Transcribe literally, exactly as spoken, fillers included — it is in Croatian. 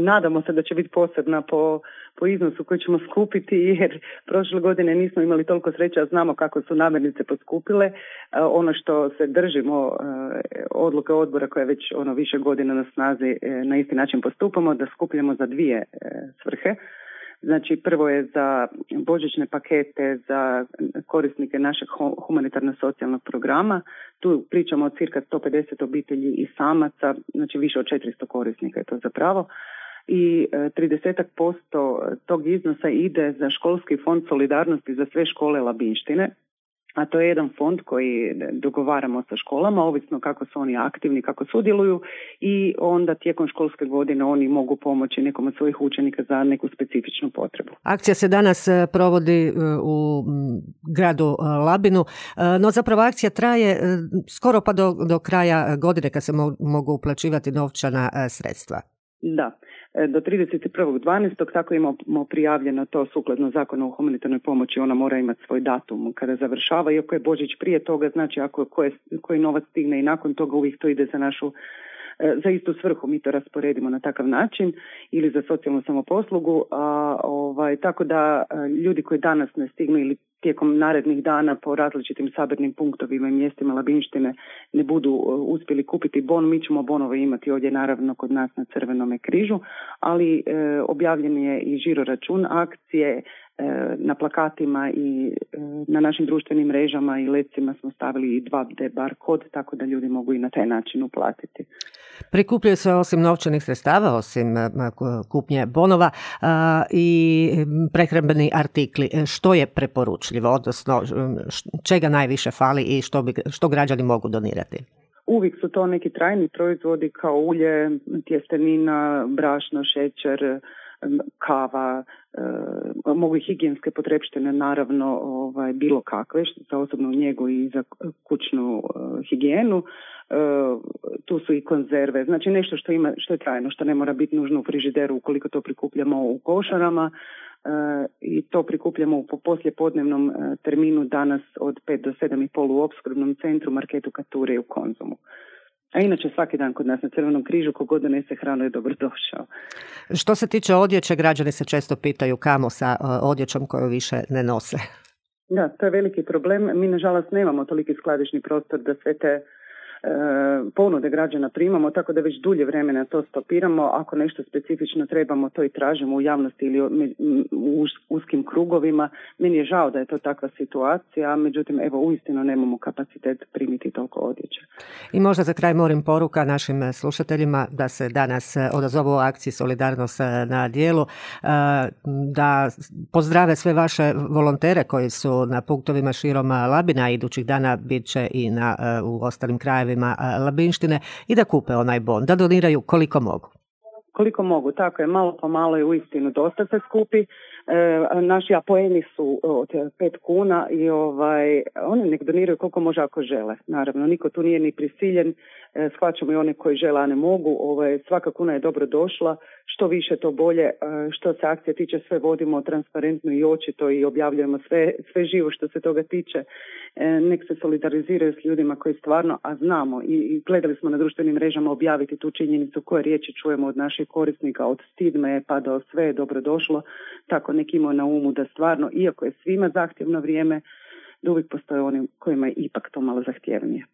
nadamo se da će biti posebna po, po iznosu koji ćemo skupiti, jer prošle godine nismo imali toliko sreća, znamo kako su namirnice poskupile. Ono što se držimo odluke odbora koja je već ono više godina na snazi, na isti način postupamo, da skupljamo za dvije svrhe. Znači, prvo je za božićne pakete za korisnike našeg humanitarno-socijalnog programa. Tu pričamo o cirka sto pedeset obitelji i samaca, znači više od četiristo korisnika je to zapravo. I trideset posto tog iznosa ide za školski fond solidarnosti za sve škole Labinštine. A to je jedan fond koji dogovaramo sa školama, ovisno kako su oni aktivni, kako sudjeluju, i onda tijekom školske godine oni mogu pomoći nekom od svojih učenika za neku specifičnu potrebu. Akcija se danas provodi u gradu Labinu, no zapravo akcija traje skoro pa do, do kraja godine kad se mogu uplaćivati novčana sredstva. Da. Do trideset prvog dvanaestog tako imamo prijavljeno to sukladno zakonu o humanitarnoj pomoći, ona mora imati svoj datum kada završava, iako je Božić prije toga, znači ako koje, koji novac stigne i nakon toga uvijek to ide za našu, za istu svrhu, mi to rasporedimo na takav način ili za socijalnu samoposlugu, a, ovaj, tako da ljudi koji danas ne stignu ili tijekom narednih dana po različitim sabirnim punktovima i mjestima Labinštine ne budu uspjeli kupiti bon, mi ćemo bonove imati ovdje naravno kod nas na Crvenome križu, ali e, objavljen je i žiro račun akcije, e, na plakatima i e, na našim društvenim mrežama i lecima smo stavili i dva D bar kod, tako da ljudi mogu i na taj način uplatiti. Prikupljaju se osim novčanih sredstava, osim kupnje bonova i prehrambeni artikli. Što je preporučljivo, odnosno čega najviše fali i što, bi, što građani mogu donirati? Uvijek su to neki trajni proizvodi kao ulje, tjestenina, brašno, šećer, kava, e, mogu i higijenske potrepštine, naravno ovaj, bilo kakve, za osobnu njegu i za kućnu e, higijenu. E, tu su i konzerve, znači nešto što ima, što je trajno, što ne mora biti nužno u frižideru ukoliko to prikupljamo u košarama. E, i to prikupljamo u poslijepodnevnom e, terminu danas od pet do sedam i pol u opskrbnom centru, Marketu Kature i u Konzumu. A inače svaki dan kod nas na Crvenom križu kogod donese hranu je dobrodošao. Što se tiče odjeće, građani se često pitaju kamo sa odjećom koju više ne nose. Da, to je veliki problem. Mi nažalost nemamo toliki skladišni prostor da sve te E, ponude građana primamo, tako da već dulje vremena to stopiramo. Ako nešto specifično trebamo, to i tražimo u javnosti ili u uskim krugovima. Meni je žao da je to takva situacija, međutim, evo, uistinu nemamo kapacitet primiti toliko odjeće. I možda za kraj morim poruka našim slušateljima da se danas odazovu u akciji Solidarnost na djelu, da pozdrave sve vaše volontere koji su na punktovima širom Labina, idućih dana bit će i na, u ostalim krajevima Labinštine, i da kupe onaj bon, da doniraju koliko mogu. Koliko mogu, tako je, malo po malo je uistinu dosta se skupi. E, naši apoeni su od pet kuna i ovaj, oni nek doniraju koliko može ako žele. Naravno, niko tu nije ni prisiljen, e, shvaćamo i one koji žele, a ne mogu. Ovaj, svaka kuna je dobro došla, što više to bolje. E, što se akcije tiče, sve vodimo transparentno i očito i objavljujemo sve, sve živo što se toga tiče. E, nek se solidariziraju s ljudima koji stvarno, a znamo i, i gledali smo na društvenim mrežama objaviti tu činjenicu koje riječi čujemo od naših korisnika, od stidme pa do sve je dobro došlo, tako neki imaju na umu da stvarno, iako je svima zahtjevno vrijeme, da uvijek postoje oni kojima je ipak to malo zahtjevnije.